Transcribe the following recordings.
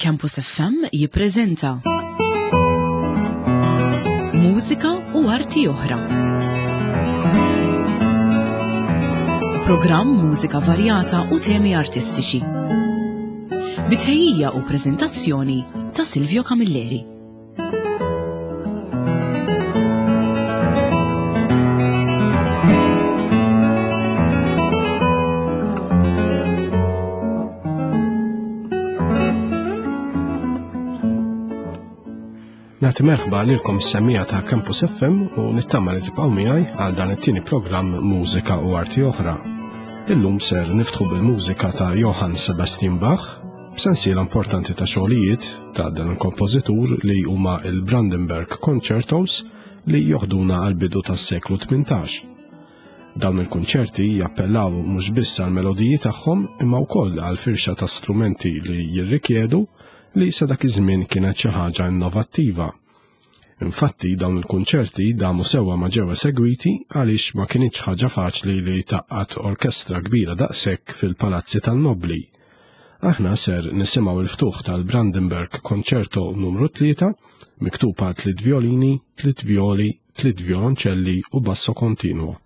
Campus FM jippreżenta Mużika u arti oħra. Programm mużika varjata u temi artistiċi. Bitħejjija u preżentazzjoni ta' Silvio Camilleri. Nagħti merħba lilkom semija ta' Campus FM u nittama li tibqgħu miegħi għal dan it-tieni programm Mużika u Arti Oħra. Illum ser niftħu bil-mużika ta' Johann Sebastian Bach, b'sensiela importanti ta' xogħlijiet ta' dan il-kompożitur li huma il-Brandenburg Concertos li joħduna għal bidu tas-seklu 18. Dawn il-kunċerti jappellaw mhux biss għal melodiji tagħhom imma wkoll għal firxa ta' strumenti li jirrikjedu li sa dak iż-żmien kienet xi ħaġa innovattiva. Infatti dawn il-kunċerti damu sewwa ma ġew esegwiti għaliex ma kinitx ħaġa faċli li taqqat orkestra kbira daqshekk fil-palazzi tan-nobbli. Aħna ser nisimgħu il-ftuħ tal-Brandenburg Concerto numru 3 miktub għal tliet violini, tliet violi, tliet violonċelli u basso continuo.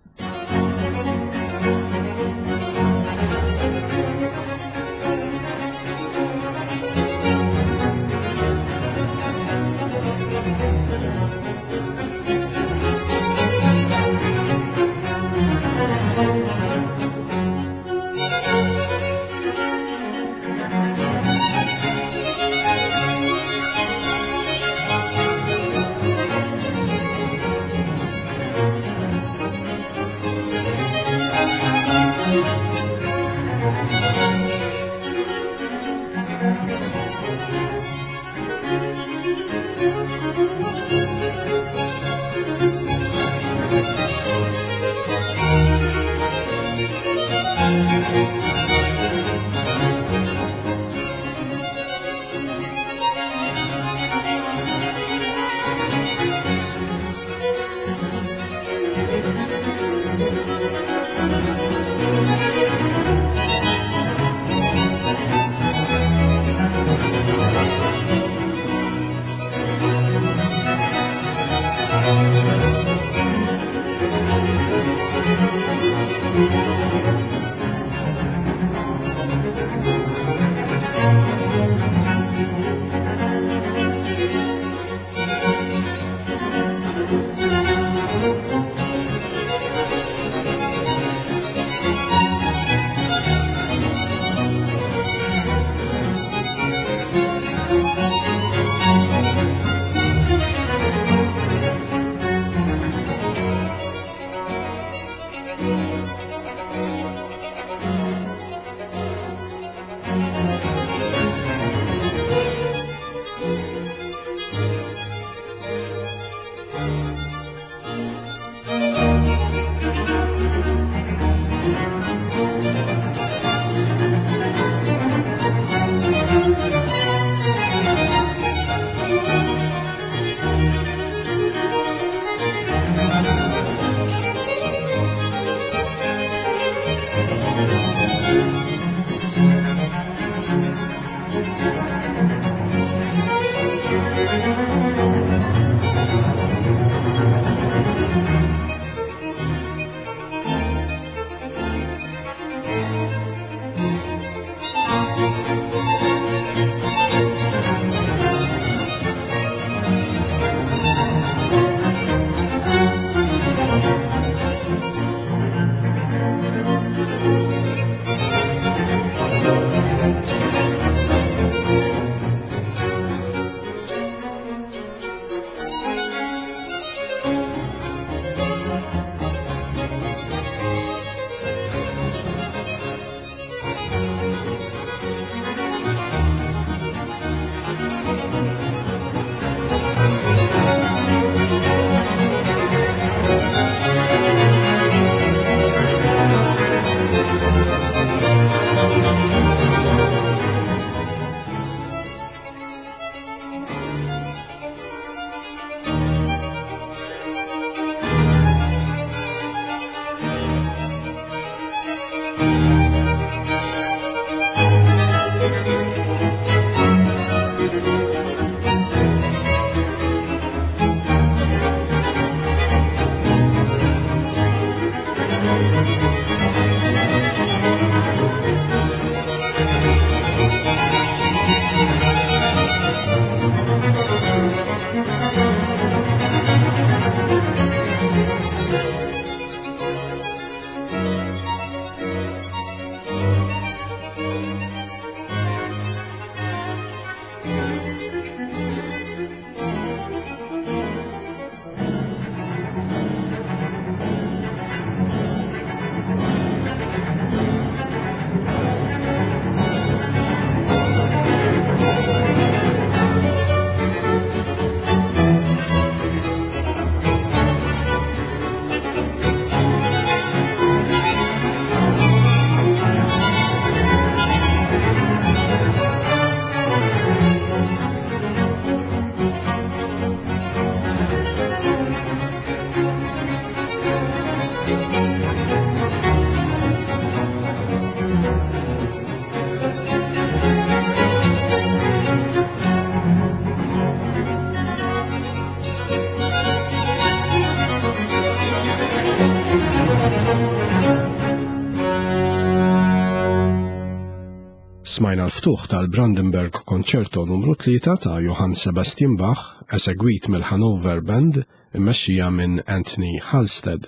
Smajna l-ftuħ tal-Brandenburg Concerto numru 3 ta' Johann Sebastian Bach esegwit mill-Hanover Band immexxija minn Anthony Halstead.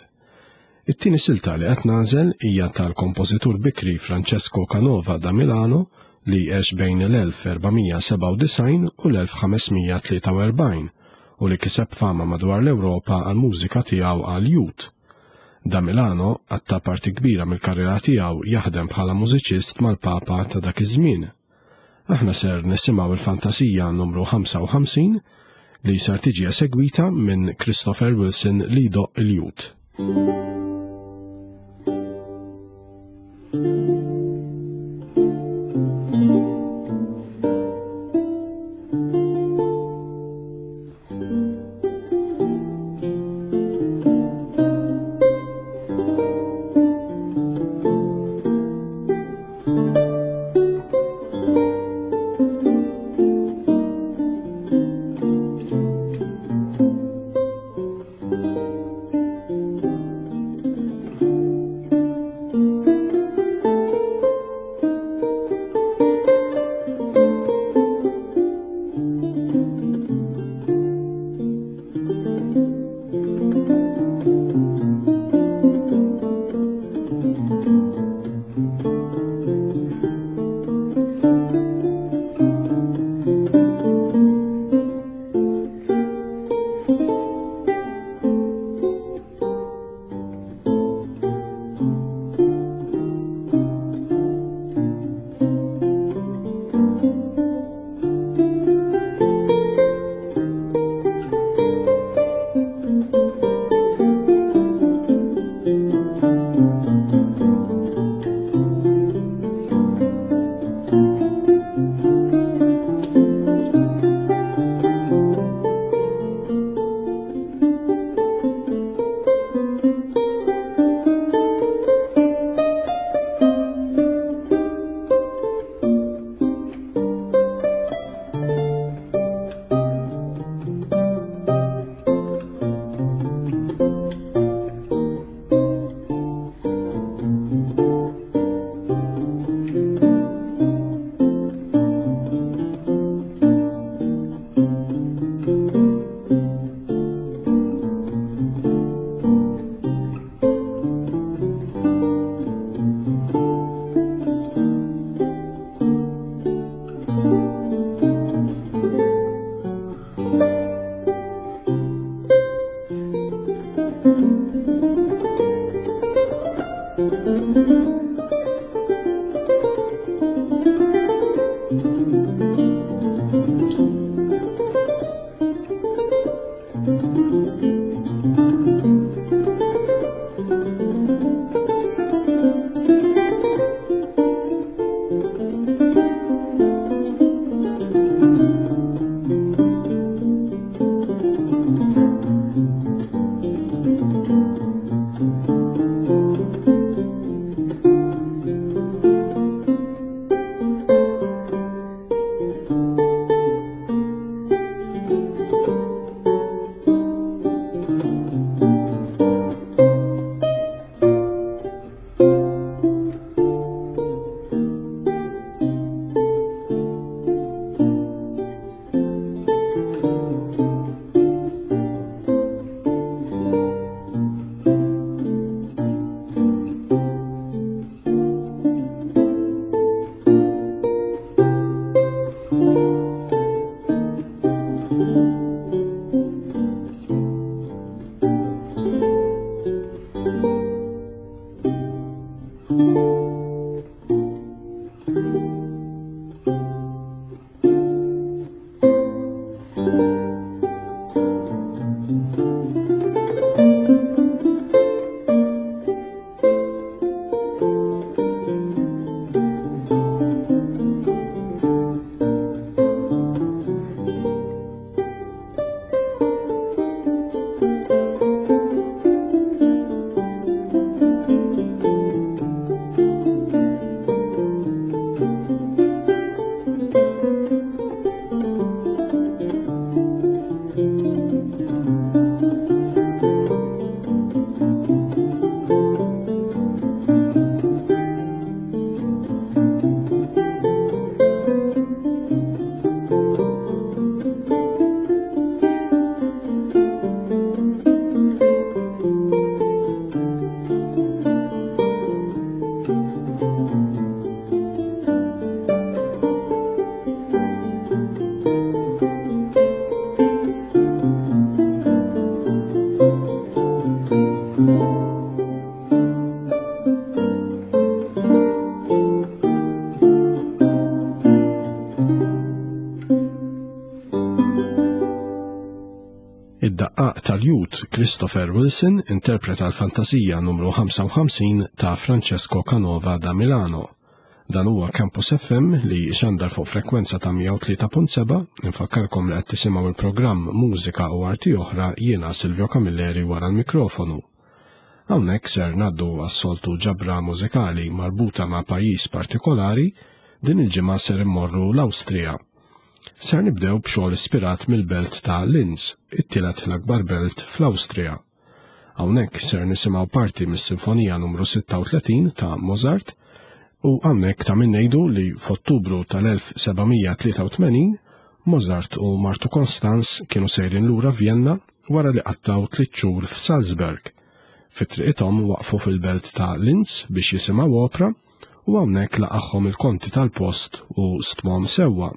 It-tieni silta li qed nagħżel hija tal-kompożitur bikri Francesco Canova da Milano li għex bejn l-1497 u l-1543 u li kiseb fama madwar l-Ewropa għall-mużika tiegħu għall-jut. Da Milano qatta' parti kbira mill-karriera tiegħu jaħdem bħala mużiċist mal-Papa ta' dak iż-żmien. Aħna ser nisimgħu l-Fantasija numru 55 li ser tiġi esegwita minn Christopher Wilson li jdoqq il-jut. Id-daqqaq tal-jut Christopher Wilson interpreta l-Fantasija numru 55 ta' Francesco Canova da Milano. Dan huwa Campus FM li xandar fuq frekwenza ta' 103.7, infakkarkom li qed tisimgħu il-programm Mużika u Arti Oħra jiena Silvio Camilleri wara l-mikrofonu. Hawnhekk ser ngħaddu għas-soltu ġabra mużikali marbuta ma' pajjiż partikolari, din il-ġimgħa ser immorru l-Awstrija. Ser nibdew b'xogħol ispirat mill-belt ta' Linz, it-tielet l-akbar belt fl-Awstrija. Hawnhekk ser nisimgħu parti mis-Sinfonija numru 36 ta' Mozart u hawnhekk ta' min ngħidu li f'Ottubru tal-1783 Mozart u martu Constance kienu sejrin lura Vjenna wara li qattgħu tliet xhur f'Salzburg. Fi triqithom waqfu fil-belt ta' Linz biex jisimgħu opra u hawnhekk laqagħhom il-konti tal-post u stmhom sewwa.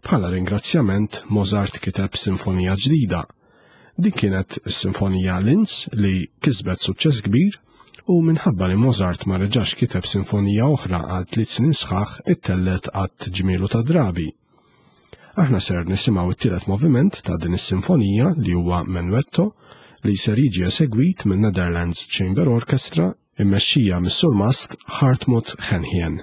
Bħala ringrazzjament Mozart kiteb sinfonija ġdida. Din kienet is-Sinfonija Linz li kisbet suċċess kbir u minħabba li Mozart ma reġax kiteb sinfonija oħra għal tliet snin sħaħ ittellet għadd ġmielu ta' drabi. Aħna ser nisimgħu t-tielet moviment ta' din is-sinfonija li huwa Menuetto li ser jiġi esegwit minn Netherlands Chamber Orchestra immexxija mis-surmast Hartmut Henhien.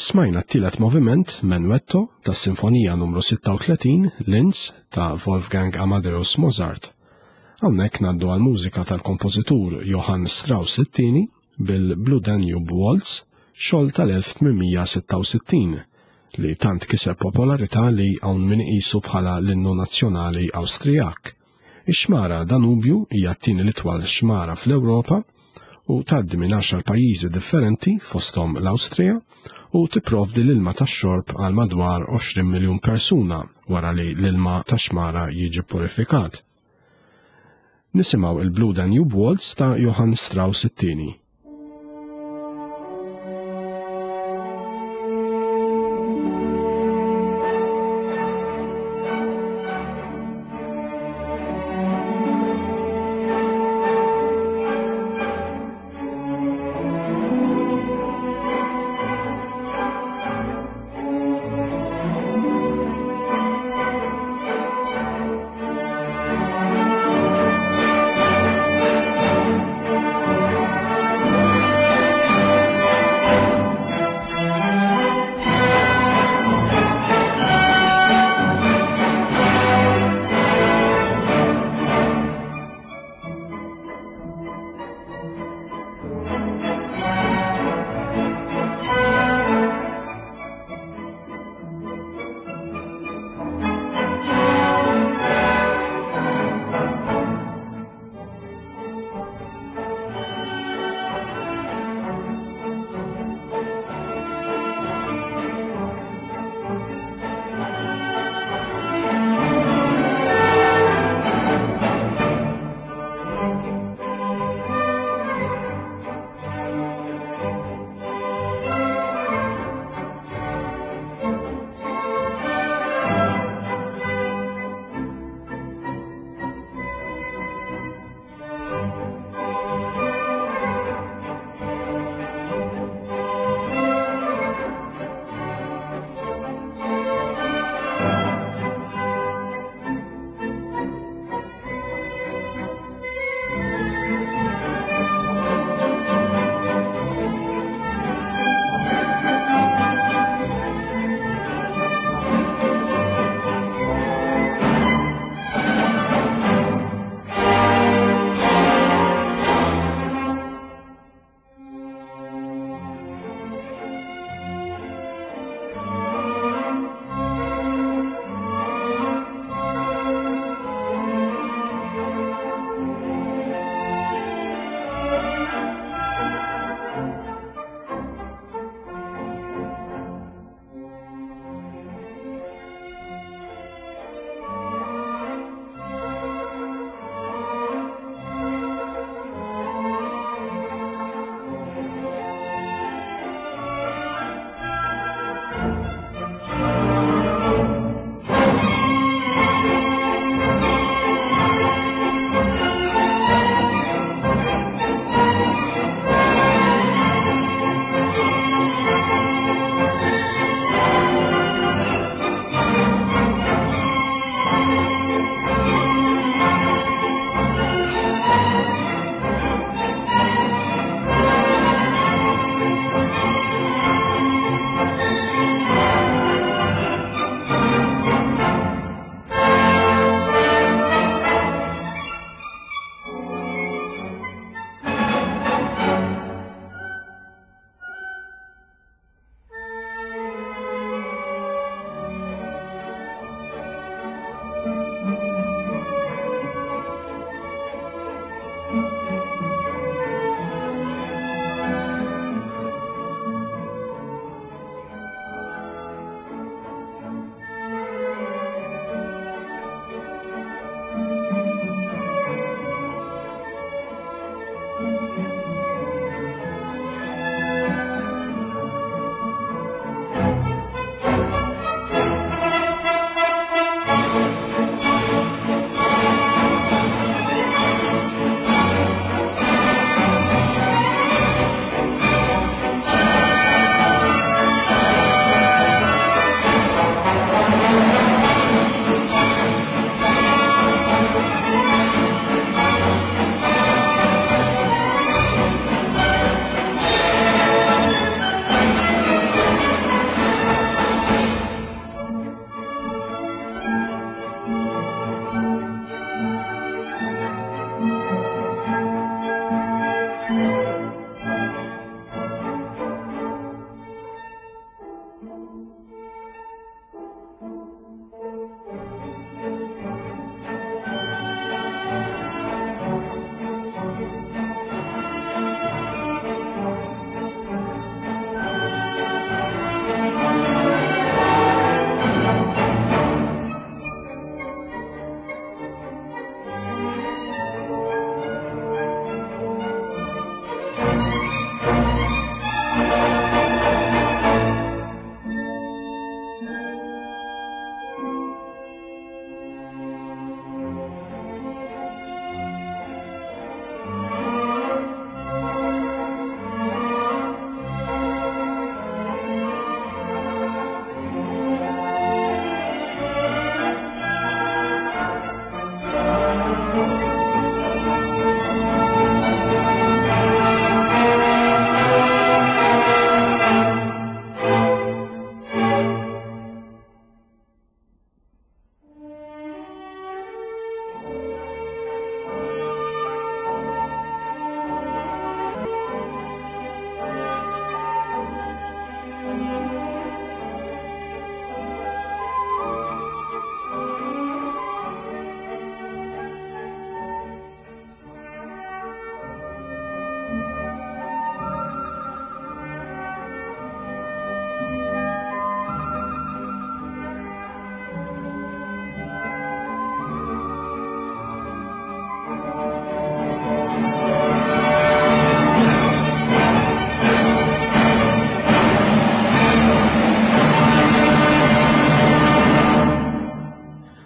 Smajna t-tielet moviment, Menuetto, tas-Sinfonija numru 36, Linz, ta' Wolfgang Amadeus Mozart. Hawnhekk ngħaddu għal mużika tal-kompożitur Johann Strauss it-tieni bil-Blue Danube Waltz, xogħol tal-1866 li tant kiseb popolarità li hawn min iqisu bħala l-innu nazzjonali Awstrijak. Ix-xmara Danubju hija t-tieni l-itwal xmara fl-Ewropa u tgħaddi minn għaxar pajjiżi differenti fosthom l-Awstrija u tipprovdi l-ilma tax-xorb għal madwar 20 miljun persuna wara li l-ilma tax-xmara jiġi purifikat. Nisimgħu il-Blue Danube Waltz ta' Johann Strauss it-tieni.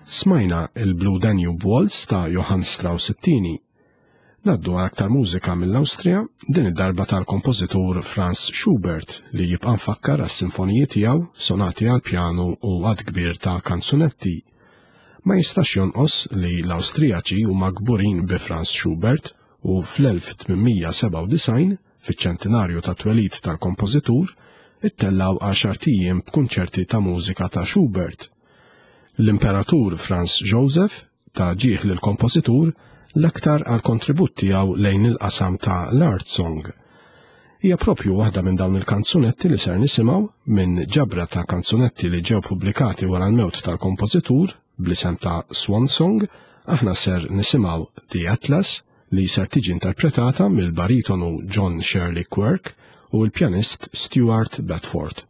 Smajna il-Blue Danube Waltz ta' Johann Strauss it-tieni. Naddu għal aktar mużika mill-Awstrija, din id-darba tal-kompożitur Franz Schubert li jibqa' mfakkar għas-sinfoniji tiegħu, sonati għal pjanu u għad kbir ta' kanzunetti. Ma jistax jonqos li l-Awstrijaċi huma kburin bi Franz Schubert u fl-1897, fiċ-ċentinarju tat-twelid tal-kompożitur, ittellgħu għaxart ijiem b'kunċerti ta' mużika ta' Schubert. L-Imperatur Franz Joseph ta ġieħ lill-kompożitur l-aktar għall-kontribut tiegħu lejn il-qasam ta' l-art song. Hija propju waħda minn dawn il-kanzunetti li ser nisimgħu minn ġabra ta' kanzunetti li ġew pubblikati wara l-mewt tal-kompożitur bl-isem ta' Swan Song, aħna ser nisimgħu The Atlas li ser tiġi interpretata mill-baritonu John Shirley Quirk u l-pjanist Stuart Bedford.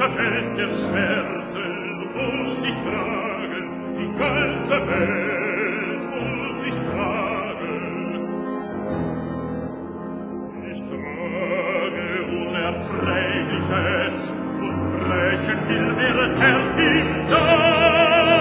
Welt der Schmerzen muss ich tragen, die ganze Welt muss ich tragen. Ich trage Unerträgliches und brechen will mir das Herz in deine.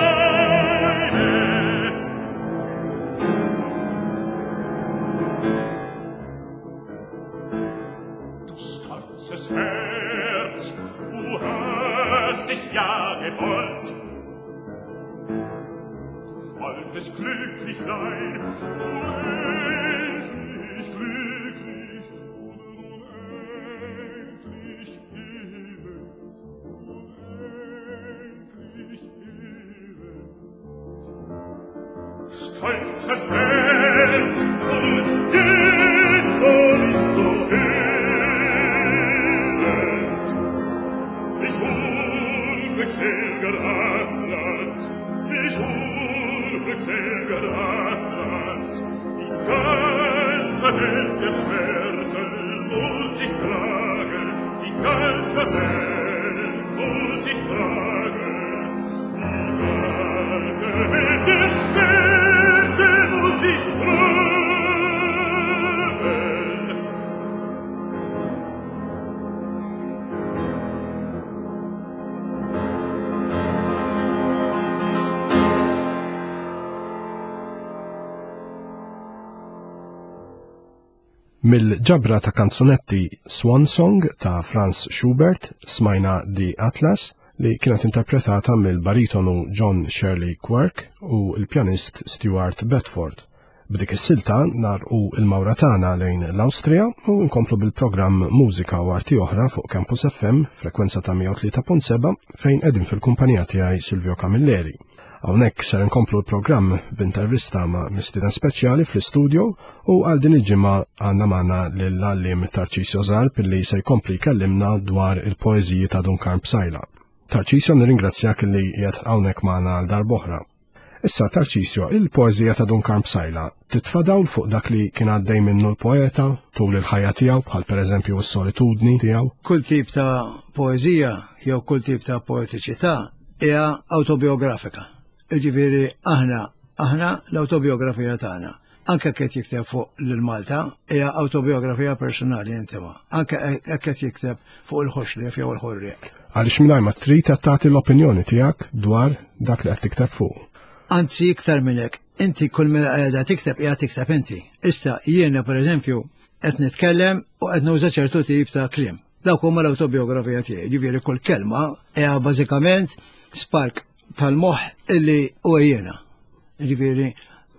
Du stolzes Herz, du hast dich ja gewollt. Wolltest glücklich sein, unendlich glücklich, unendlich elend, unendlich elend. Stolzes Herz, und jetzo bist du elend. Ich unglückseliger Atlas, ich unglückseliger Atlas, die ganze Welt der Schmerzen muss ich tragen, die ganze Welt muss ich tragen, die ganze Welt der Schmerzen muss ich tragen. Mill-ġabra ta' kanzunetti Swan Song ta' Franz Schubert smajna The Atlas li kienet interpretata mill-baritonu John Shirley Quirk u l-pjanist Stuart Bedford. B'dik is-silta narqu il-mawra tagħna lejn l-Awstrija u nkomplu bil-programm Mużika u Arti Oħra fuq Campus FM frekwenza ta' 103.7 fejn qegħdin fil-kumpanija tiegħi Silvio Camilleri. Hawnhekk ser nkomplu l-programm b'intervista ma' mistieden speċjali fl-istudio u għal din il-ġimgħa għandna magħna lill-għalliem Tarcisio Zarb li se jkompli jkellimna dwar il-poeżiji ta' Dun Karm Psaila. Tarcisio nirringrazzjak li qiegħed hawnhekk magħna għal darb'oħra. Issa Tarcisio, il-poeżija ta' Dun Karm Psaila titfa' dawl fuq dak li kien għaddej minnu l-poeta tul il-ħajja tiegħu bħal pereżempju s-solitudni tiegħu. Kull tip ta' poeżija jew kull tip ta' poetiċità hija awtobiografika. Jiġifieri aħna aħna l-awtobiografija tagħna. Anke qed jikteb fuq lil Malta hija awtobiografija personali intima. Anke hekk qed jikteb fuq il-ħoxlief jew il-ħorrieq. Għaliex mingħajr ma trid qed tagħti l-opinjoni tiegħek dwar dak li qed tikteb fuq. Anzi iktar minn hekk, inti kull minn qiegħda tikteb qiegħda tikteb inti. Issa jiena pereżempju qed nitkellem u qed nuża ċertu tip ta' kliem. Dawk huma l-awtobiografija tiegħi, ġifieri kull kelma hija bażikament spark tal-moħħ illi huwa jiena. Ġifieri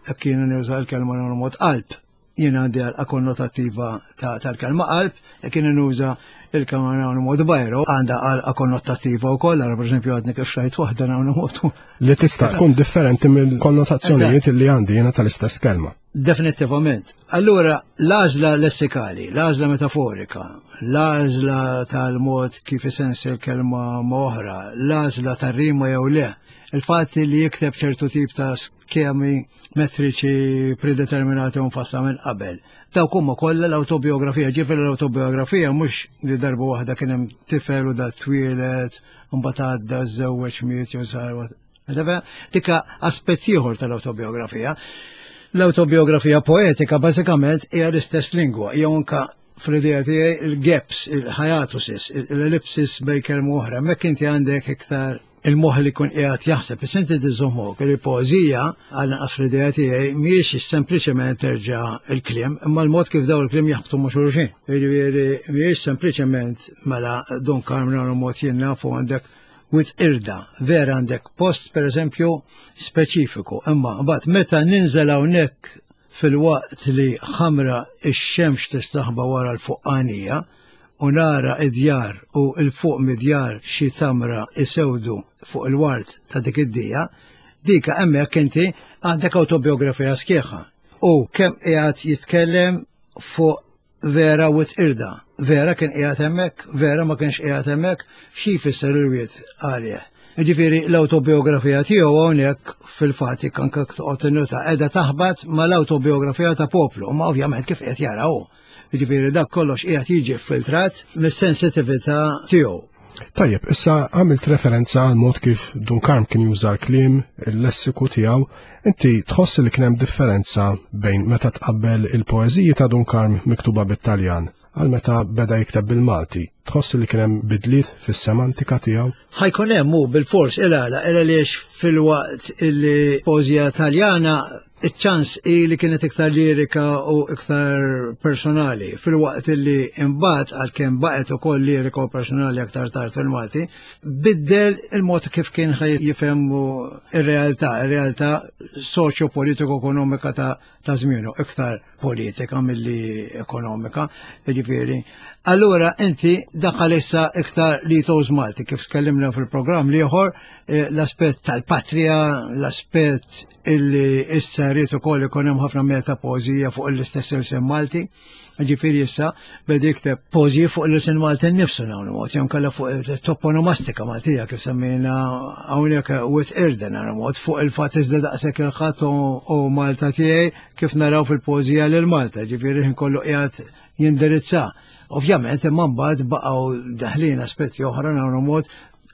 hekk jiena nuża l-kelma mod qalb, jiena għandi għalqa konnotattiva tal-kelma qalb, jekk jiena nuża il-kelma nagħmlu mod bajro, għandha għalqa konnotattiva wkoll, ara pereżempju għadni kif xrajt waħda nagħmlu mod. Li tista' tkun differenti mill-konnotazzjonijiet li għandi jiena tal-istess kelma. Definittivament. Allura, l-għażla lessikali, l-għażla metaforika, l-għażla tal-mod kif isensi l-kelma ma' oħra, l-għażla tar-rima jew le, il-fatt li jikteb ċertu tip ta' skemi metriċi predeterminati u mfassla minn qabel. Dawk huma kollha l-awtobiografija, ġifieri l-awtobiografija mhux li darba waħda kien hemm tifel u da twieled, mbagħad għadda żewweġ miet jew sar Dika aspett ieħor tal-awtobiografija. L-awtobiografija poetika bażikament hija l-istess lingwa, jew anka fl-idea tiegħi il-gaps, il-hiatuses, l-ellipsis bejn kelma oħra. Mek inti għandek iktar il-moħ li kun qiegħed jaħseb, is inti tiżommok li poeżija għal naqas fl-idea tiegħi mhijiex sempliċement terġa' il-kliem, imma l-mod kif daw il-kliem jaħbtu ma' xulxin. Jiġifieri mhijiex sempliċement mela Don Carmen mod jien nafu għandek Wied Qirda, vera għandek post pereżempju speċifiku, imma mbagħad meta ninżel hawnhekk filwaqt li ħamra x-xemx tistaħba wara l-fuqqanija u nara id-djar u l fuq mid-djar xi tamra isewdu fuq il-ward ta' dik id-dija, dika hemmhekk inti għandek awtobiografija sħiħa. U kemm qiegħed jitkellem fuq vera Wied Qirda. Vera kien qiegħed hemmhekk, vera ma kienx qiegħed hemmhekk, xi jfisser il-wied għalih. Ġifieri l-awtobiografija tiegħu hawnhekk fil-fatt jekk anke toqgħod tinnota qiegħda taħbat mal-awtobiografija ta' poplu, ma ovvjament kif qed jara hu. Ġifieri dak kollox qiegħed jiġi filtrat mis-sensitività tiegħu. Tajjeb, issa għamilt referenza għal mod kif Dun Karm kien juża l-kliem, il-lessiku tiegħu. Inti tħoss li kien hemm differenza bejn meta tqabbel il-poeżiji ta' Dun Karm miktuba bit-Taljan għal meta beda jikteb bil-Malti. Tħoss li kien hemm bidliet fis-semantika tiegħu? Ħa jkun hemm hu bilfors il-għala, il għaliex filwaqt illi poeżija Taljana iċ-ċans hi li kienet iktar lirika u iktar personali, filwaqt li imbagħad għalkemm baqgħet ukoll lirika u personali aktar tard fil-Malti, biddel il-mod kif kien ħaj jifhem ir-realtà, ir-realtà soċjo-politiko-ekonomika ta' ta' żmienu, iktar politika milli ekonomika, jiġifieri. Allura inti daħal issa iktar li toż Malti kif tkellimna fil-programm l-ieħor eh, l-aspett tal-patrija, l-aspett illi issa rrid ukoll ikun hemm ħafna meta poeżija fuq l-istess ilsien Malti. Ġifieri issa beda jikteb poeżiji fuq l-ilsien Malti nnifsu hawn mod, jew kellha fuq toponomastika Maltija kif semmejna hawnhekk Wied Qirda nara mod fuq il-fatt iżda daqshekk il-ħadd u Malta tiegħi kif naraw fil-poeżija lil Malta, ġifieri ħin kollu qiegħed jindirizza. Ovvjament imma mbagħad baqgħu daħlin aspetti oħra nagħmlu mod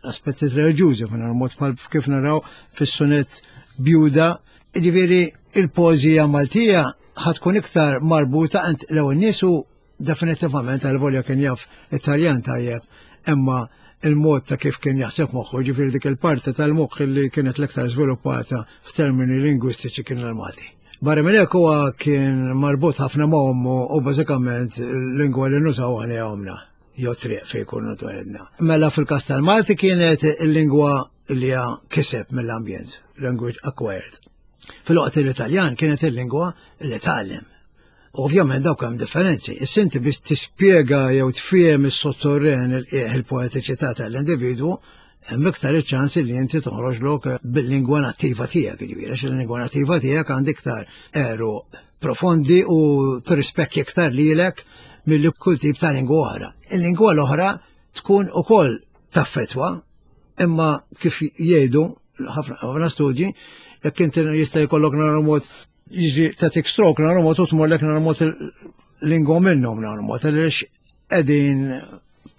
aspetti reliġjużi minn mod bħal kif naraw fis-sunet Bjuda. Ġifieri il-poeżija Maltija ħatkun iktar marbuta għand l-ewwel niesu definitivament għal volja kien jaf Italjan tajjeb, imma il-mod ta' kif kien jaħseb moħħu, ġifieri dik il-parti tal-moħħ li kienet l-iktar żviluppata f'termini lingwistiċi kien l-Malti. Barra minn hekk huwa kien marbut ħafna ma' ommu u bażikament l-lingwa li nużaw aħna omna jew triq fejn kunu twelidna. Mela fil-każ tal-Malti kienet il-lingwa li kiseb mill-ambjent, language acquired. Fil-waqt l-Italjan kienet il-lingwa li tgħallem. Ovvjament dawk hemm differenzi. Is-sinti biex tispjega jew tfiem is-sottorren il-qiegħ il-poetiċità tal-individwu, hemm iktar iċ-ċans li inti toħroġlok bil-lingwa nattiva tiegħek, jiġifieri għax il-lingwa nattiva tiegħek għandi iktar eru profondi u tirrispekki iktar lilek milli kull tip ta' lingwa oħra. Il-lingwa l-oħra tkun ukoll taffetwa, imma kif jgħidu ħafna studji, jekk inti jista' jkollok nara mod jiġi tagħtik stroke nara mod u tmurlek nara mod lingwa minnhom nara mod għaliex qegħdin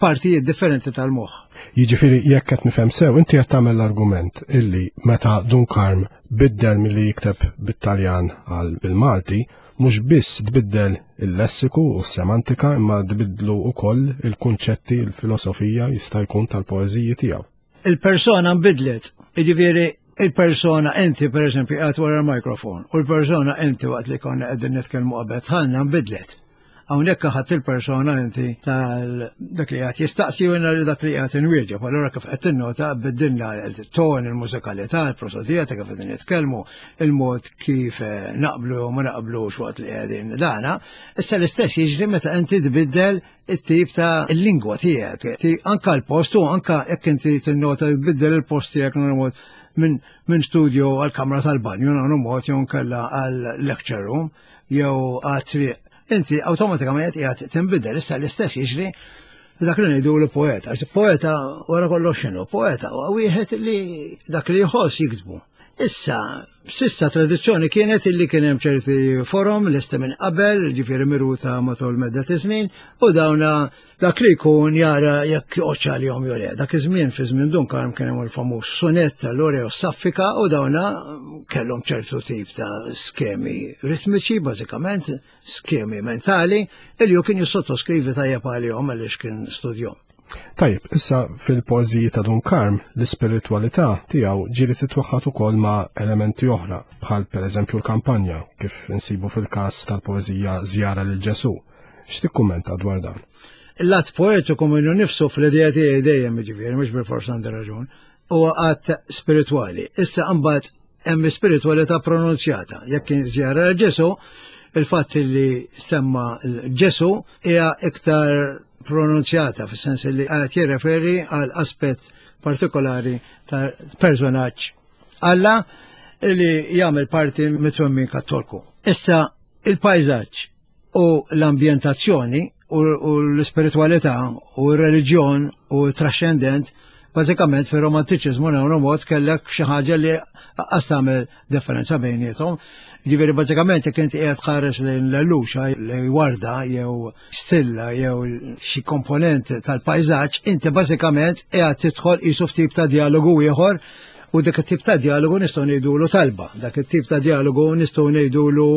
partijiet differenti tal-moħħ. Jiġifieri jekk qed nifhem sew, inti qed tagħmel l-argument illi meta Dun Karm biddel milli jikteb bit-Taljan għal bil-Malti, mhux biss tbiddel il-lessiku u s-semantika imma tbiddlu wkoll il-kunċetti, il-filosofija jista' jkun tal-poeżiji tiegħu. Il-persona nbidlet, jiġifieri il-persona inti pereżempju qiegħed wara l-mikrofon u l-persona inti waqt li konna qegħdin nitkellmu qabel dħalna nbidlet. Hawnhekk ħadd il-persona inti tal dak li qed jistaqsi u li dak li qed inwieġeb. Allura kif qed tinnota biddilna il-ton, il-mużikalità, il-prosodija ta' kif qegħdin nitkellmu, il-mod kif eh, naqblu jew ma naqblux waqt li qegħdin dana. Issa l-istess jiġri meta inti tbiddel it-tip ta' il-lingwa tiegħek. Anka l-post u anka jekk inti tinnota tbiddel il-post tiegħek mod. minn min studio għal kamra tal-banju nagħmlu mod jew nkella għal lecture room jew għal triq. Inti awtomatikament qiegħed tinbidel issa l-istess jiġri dak li ngħidu l poeta. Għax poeta wara kollox x'inhu, poeta huwa wieħed li dak li jħoss jiktbu. Issa, sissa tradizzjoni kienet illi kien hemm ċerti forum lesti minn qabel, ġifieri miruta matul medda ta' snin, u dawna dak li jkun jara jekk joqgħodx għalihom jew le. Dak iż-żmien fi żmien Dun Karm kien hemm il-famuż sunett tal-Lore u Saffika u dawna kellhom ċertu tip ta' skemi ritmiċi bażikament, skemi mentali, illi hu kien jissottoskrivi tajjeb għalihom għaliex kien studjom. Tajjeb, issa fil-poeżiji ta' Dun Karm, l-ispiritwalità tiegħu ġieli titwaħħad ukoll ma' elementi oħra, bħal pereżempju l-kampanja, kif insibu fil-każ tal-poeżija Żjara lil Ġesù. X'tikkummenta dwar dan? Il-lat poetiku minnu nifsu fl-idea tiegħi dejjem jiġifieri mhux bilfors għandi raġun, huwa att spiritwali. Issa mbagħad hemm spiritwalità pronunzjata. Jekk kien żjara lil Ġesù, il-fatt li semma Ġesù hija iktar pronunzjata fis-sens li qed jirreferi għal aspett partikolari ta' personaġġ Alla li jagħmel parti mit-twemmin kattolku. Issa il-pajżaġġ u l-ambjentazzjoni u l-ispiritwalità u r-reliġjon u t-trascendent bażikament fir-romantiċiżmu nagħmlu mod kellek xi ħaġa li qas tagħmel differenza bejniethom. Ġifieri bażikament jekk inti qiegħed tħares lejn l-luxa lejn warda jew stilla jew xi komponent tal-pajżaġġ, inti bażikament qiegħed tidħol qisu f'tip ta' dialogu ieħor u dak it-tip ta' dialogu nistgħu ngħidulu talba, dak it-tip ta' dialogu nistgħu ngħidulu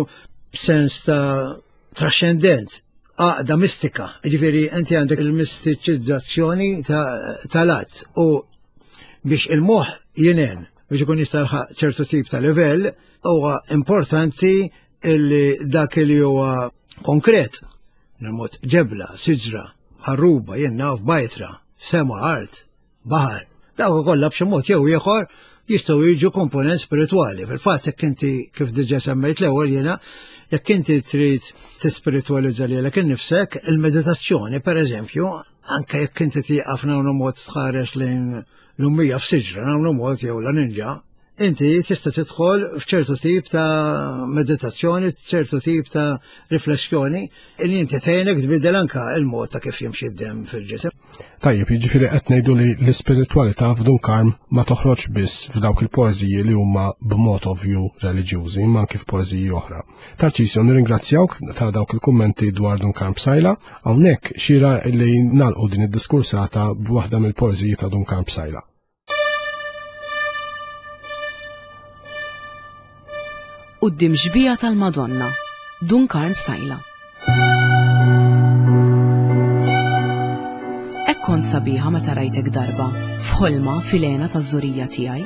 sens ta' trascendent, għaqda mistika. Ġifieri inti għandek il-mistiċizzazzjoni tal-att u biex il-moħħ jinen biex ikun jista' ċertu tip ta' livell huwa importanti illi dak li huwa konkret nemot ġebla, siġra, ħarruba, jien naf bajtra, sema art, baħar. Dawk kollha b'xi mod jew ieħor jistgħu jiġu komponent spiritwali. Fil-fatt jekk inti kif diġà semmejt l-ewwel jiena, jekk inti trid tispiritwalizza lilek innifsek, il-meditazzjoni pereżempju, anke jekk inti tieqaf nagħmlu mod tħares lejn l-ummija f'siġra nagħmlu mod jew la ninġa, inti tista' tidħol f'ċertu tip ta' meditazzjoni, ċertu tip ta' riflessjoni, li inti tgħinek tbiddel anka il-mod ta' kif jimxi d-demm fil-ġisem. Tajjeb, jiġifieri qed ngħidu li l-ispiritwalità f'Dun Karm ma toħroġ biss f'dawk il-poeżiji li huma b'mod ovvju reliġjużi, imma anki f'poeżiji oħra. Tarċisio, nirringrazzjawk ta' dawk il-kummenti dwar Dun Karm Psaila. Hawnhekk xira li nagħlqu din id-diskursata b'waħda mill-poeżiji ta' Dun Karm Psaila. Quddiem xbieha tal-Madonna, Dun Karm Psaila. Hekk kont sabiħa meta rajtek darba, f'ħolma fil-hena taż-żurija tiegħi.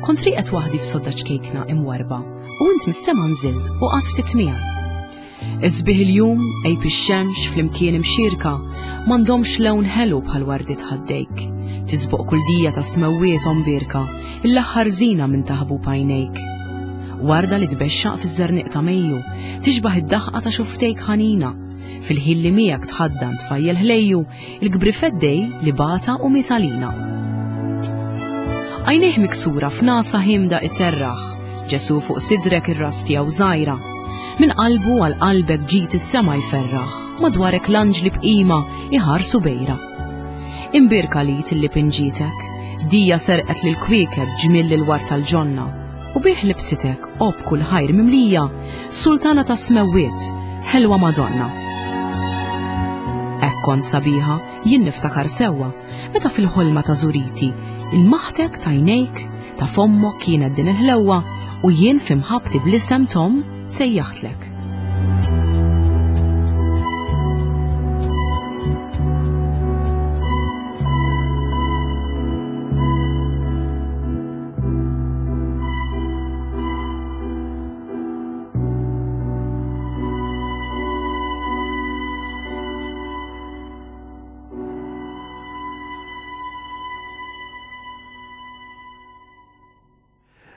Kont rieqed waħdi f'sodda ċkejkna imwarrba, u int mis-sema nżilt u qgħadt ftit miegħi. Isbieħ il-jum, għejb ix-xemx flimkien imxierka, m'għandhomx lewn ħelu bħal wardiet ħaddejk. Tisboq kull dija ta' smewwiet ombierka, l-aħħar żina minn taħbub għajnejk. Warda li tbexxaq fiż-żerniq ta' Mejju, tixbah id-daħqa ta' xuftejk ħanina. Fil-ħin li miegħek tħaddan tfajjel ħlejju, il-kbri feddej li bata u miet għalina. Għajnejh miksura f'nasa ħimda iserraħ, Ġesu fuq sidrek ir-ras tiegħu żgħira. Minn qalbu għal qalbek ġid is-sema jferraħ, madwarek l-anġli b'qima iħarsu bejra. Imbierka li tilli pinġietek, dija serqet lil kwiekeb ġmiel lil war tal-ġonna, u bih libsitek o b'kull ħajr mimlija, sultana ta' smewwiet, ħelwa Madonna. Hekk kont sabiħa, jien niftakar sewwa, meta fil-ħolma ta' żuriti, il-maħtek t'għajnejk, ta' fommok kienet din il-ħlewwa, u jien fi mħabbti bl-isem t'omm sejjaħtlek.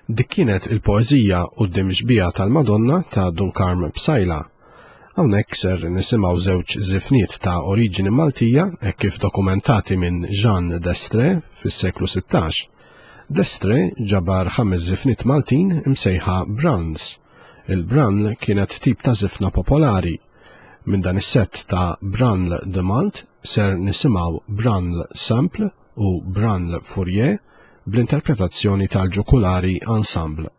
Dik kienet il-poeżija Quddiem Xbieha tal-Madonna ta' Dun Karm Psaila. Hawnhekk ser nisimgħu żewġ żifniet ta' oriġini Maltija hekk kif dokumentati minn Jean d'Estrée fis-seklu 16. D'Estre ġabar ħames żifniet Maltin imsejħa Branls. Il-Branl kienet tip ta' żifna popolari. Minn dan is-sett ta' Branl de Malt ser nisimgħu Branl Sample u Branl Fourier bl-interpretazzjoni tal-Ġukulari Ensemble.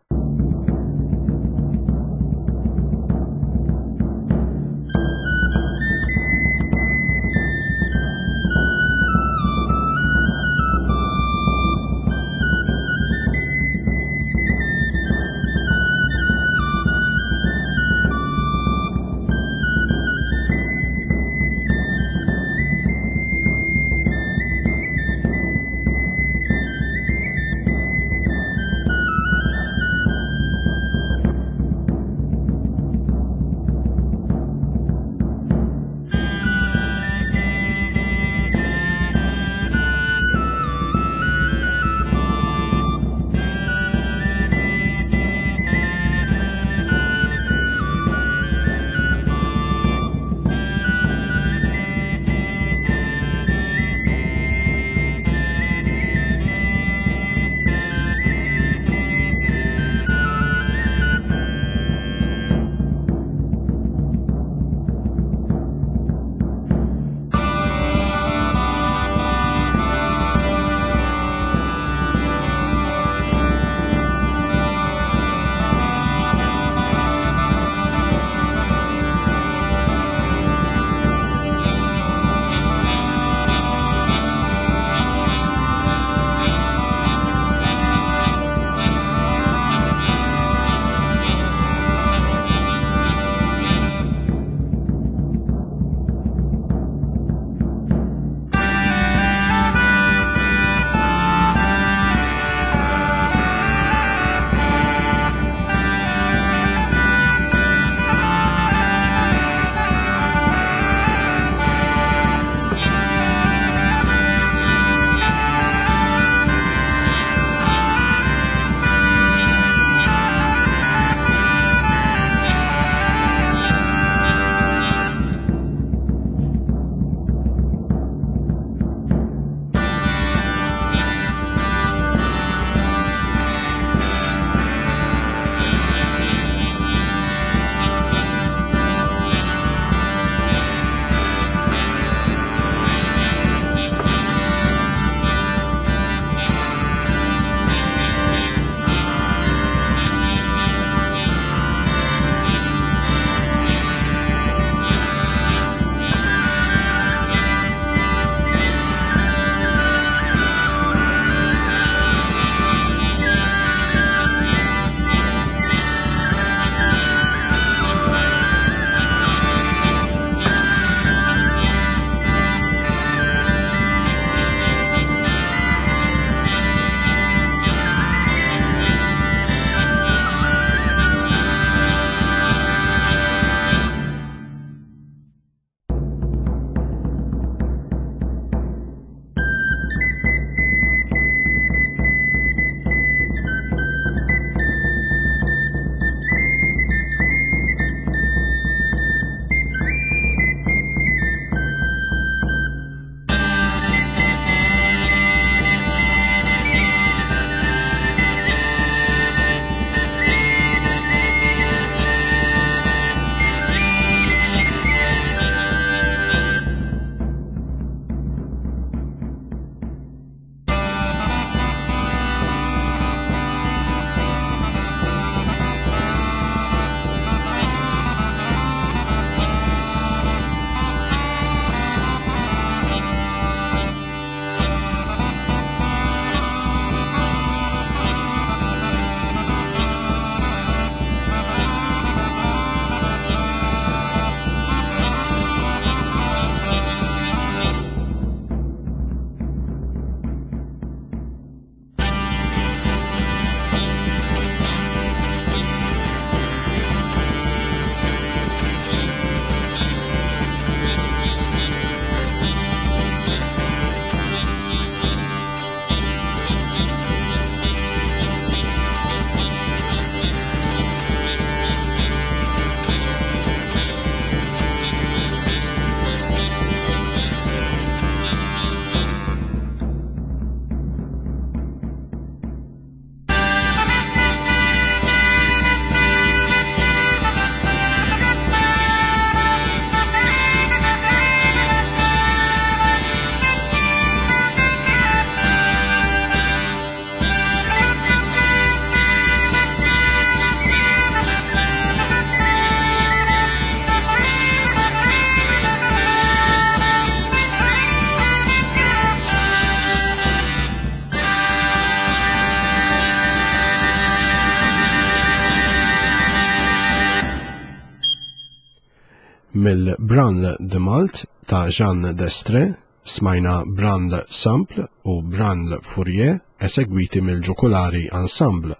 Mill-Branle de Malt ta' Jean Destre smajna Branle Sample u Branle Fourier esegwiti mill-Ġukulari Ensemble.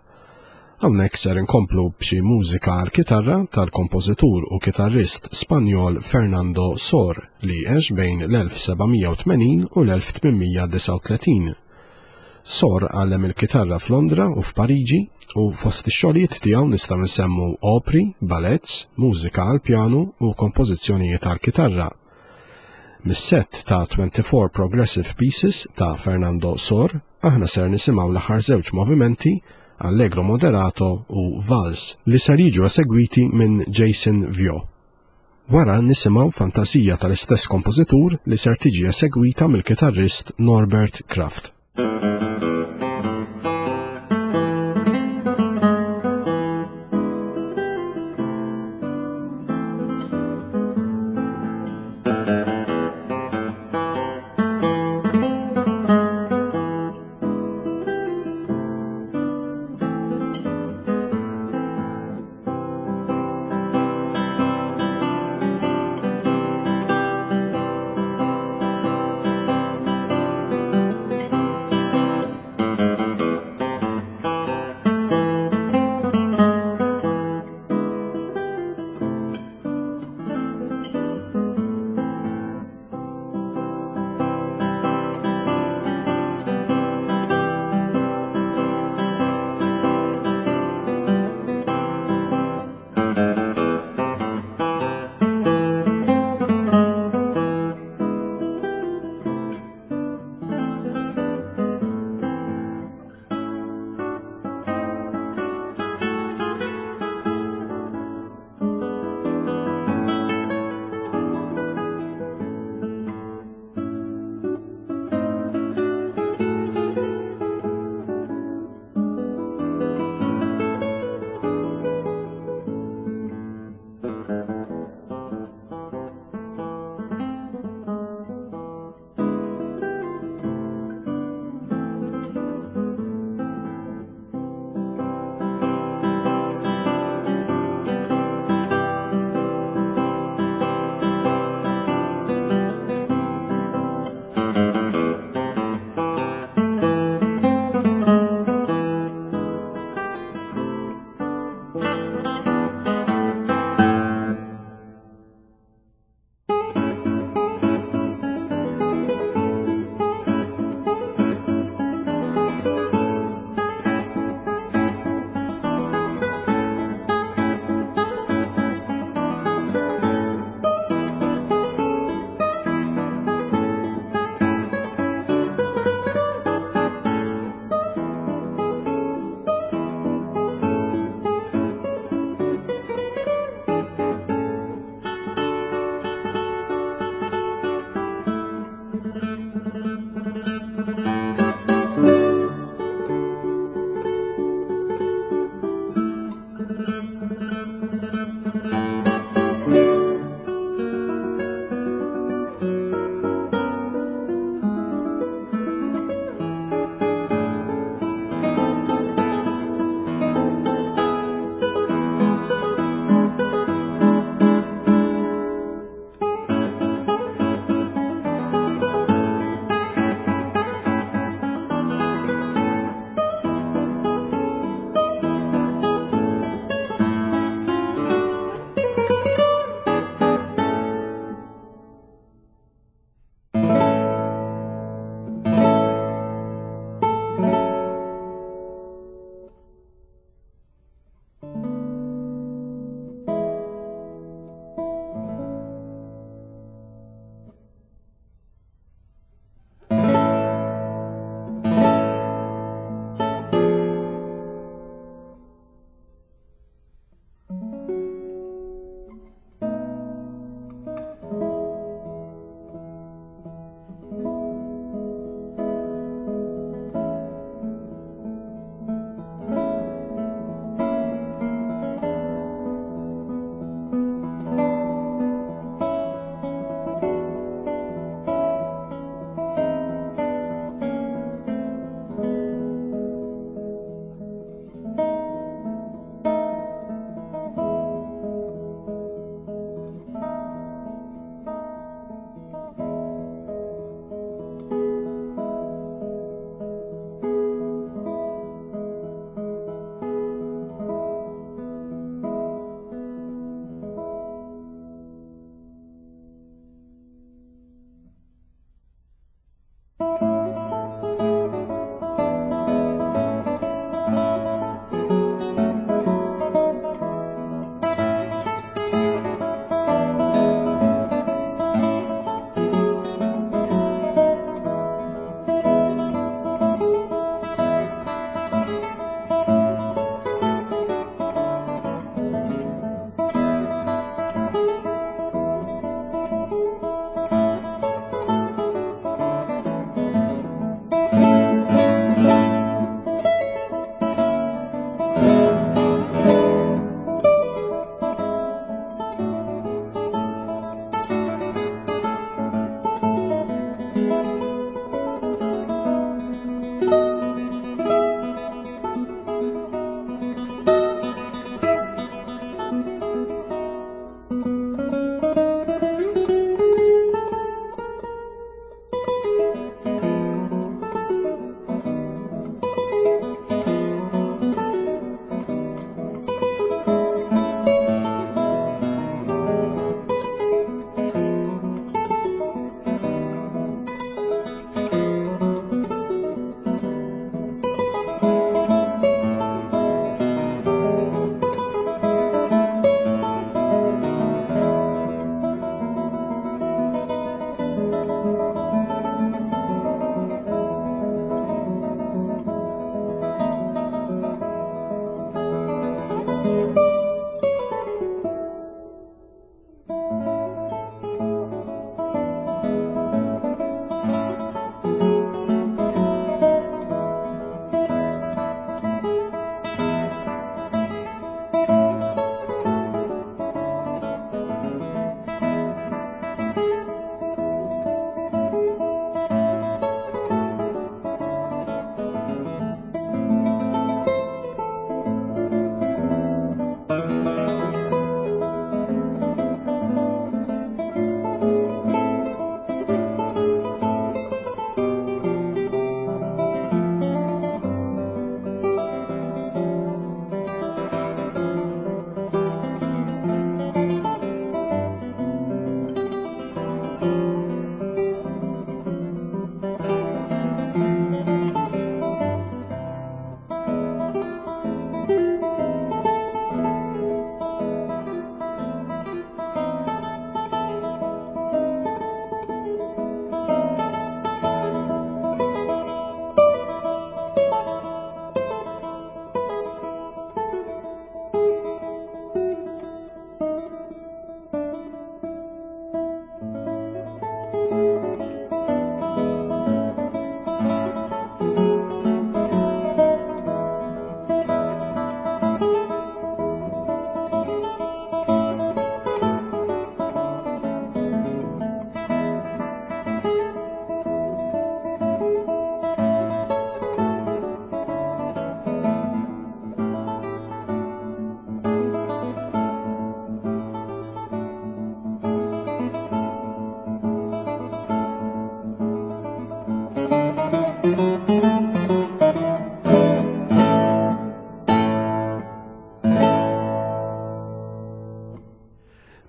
Hawnhekk ser inkomplu b'xi mużika għal kitarra tal-kompożitur u kitarrist Spanjol Fernando Sor li għex bejn l-1780 u l-1839. Sor għallem il-kitarra f'Londra u f'Pariġi u fost ix-xogħlijiet tiegħu nistgħu nsemmu opri, ballets, mużika għall-pjanu u kompożizzjonijiet għall-kitarra. Mis-sett ta' 24 Progressive Pieces ta' Fernando Sor, aħna ser nisimgħu l-aħħar żewġ movimenti Allegro Moderato u Vals li ser jiġu esegwiti minn Jason Vio. Wara nisimgħu fantasija tal-istess kompożitur li ser tiġi esegwita mill-kitarrist Norbert Kraft.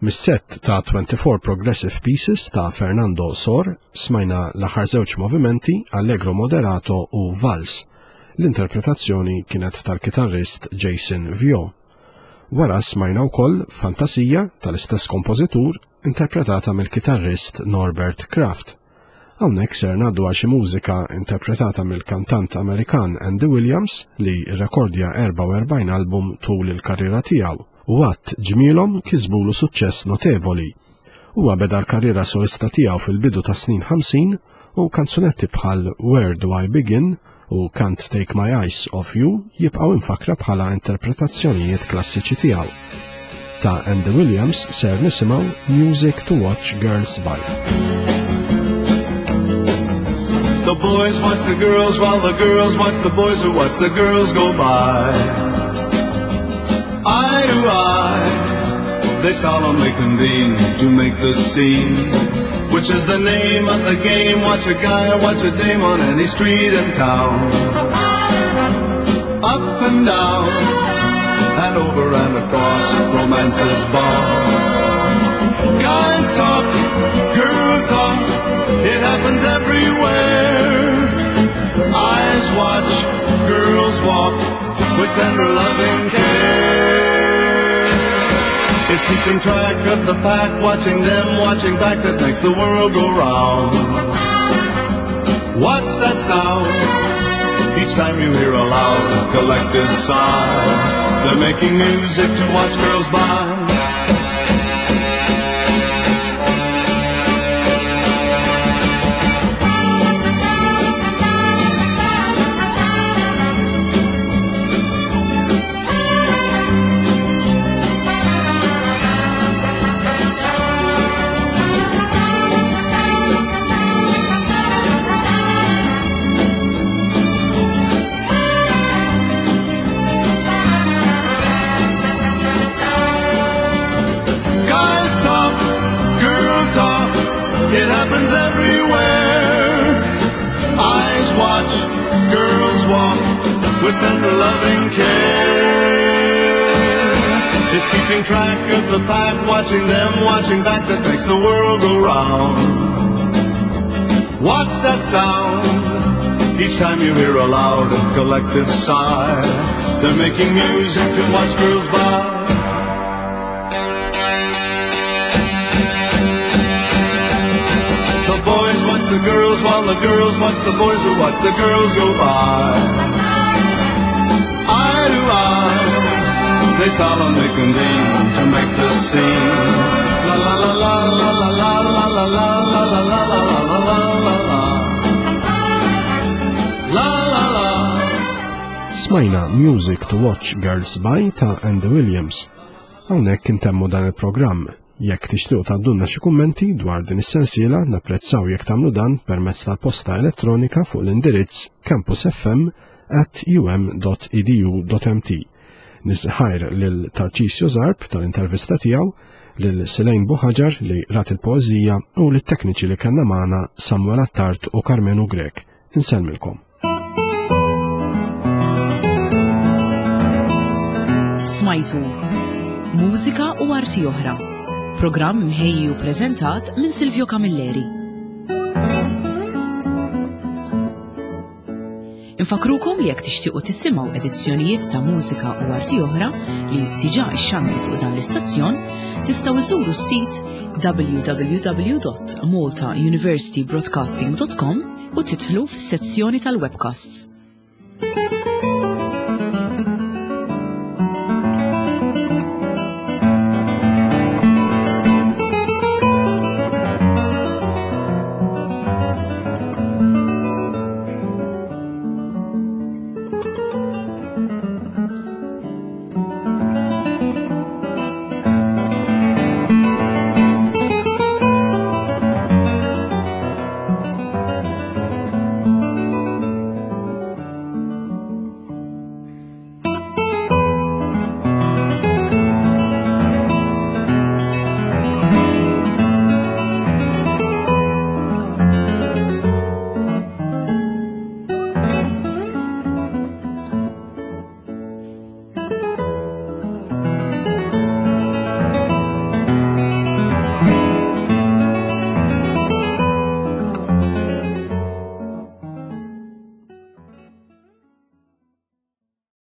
Mis-sett ta' 24 Progressive Pieces ta' Fernando Sor smajna l-aħħar żewġ movimenti Allegro Moderato u Vals. L-interpretazzjoni kienet tal-kitarrist Jason Vio. Wara smajna wkoll Fantasija tal-istess kompożitur interpretata mill-kitarrist Norbert Kraft. Hawnhekk ser ngħaddu għal xi mużika interpretata mill-kantant Amerikan Andy Williams li rrekordja 44 album tul il-karriera tiegħu u għadd ġmielhom kisbulu suċċess notevoli. Huwa beda l-karriera solista tiegħu fil-bidu tas-snin 50 u kanzunetti bħal Where Do I Begin u Can't Take My Eyes Off You jibqgħu imfakkra bħala interpretazzjonijiet klassiċi tiegħu. Ta' Andy Williams ser nisimgħu Music to Watch Girls By. The boys watch the girls while the girls watch the boys who watch the girls go by. Eye to eye, they solemnly convene to make the scene. Which is the name of the game? Watch a guy, watch a dame on any street in town. Up and down, and over and across, romance's boss. Guys talk, girl talk, it happens everywhere. Eyes watch, girls walk, with tender loving care. It's keeping track of the pack, watching them, watching back that makes the world go round. What's that sound? Each time you hear a loud collective sigh, they're making music to watch girls by. Guys talk, girl talk, it happens everywhere. Eyes watch, girls walk, with tender loving care. It's keeping track of the pack, watching them, watching back that makes the world go round. What's that sound? Each time you hear a loud collective sigh, they're making music to watch girls by. The boys watch the girls while the girls watch the boys who watch the girls go by. Eye to eye, they solemnly convene to make the scene. La la la la la la la la la la la la la la la la la la. La la la. Smajna Music to Watch Girls By ta' Andy Williams. Hawnhekk intemmu dan il-programm. Jekk tixtiequ tgħaddulna xi kummenti dwar din is-sensiela, napprezzaw jekk tagħmlu dan permezz tal-posta elettronika fuq l-indirizz campusfm@um.edu.mt. Nisħajr lil Tarcisio Zarb tal-intervista tiegħu, lil Selene Buħaġar li rat il-poeżija u lit-tekniċi li kellna magħna Samuel Attard u Karmenu Grech. Insellmilkom. Smajtu Mużika u Arti Oħra. Programm mħejji u preżentat minn Silvio Camilleri. Infakrukom li jekk tixtiequ tisimgħu edizzjonijiet ta' mużika u arti oħra li diġà xxandru fuq dan l-istazzjon, tistgħu iżuru s-sit www.maltauniversitybroadcasting.com u tidħlu fis-sezzjoni tal-webcasts.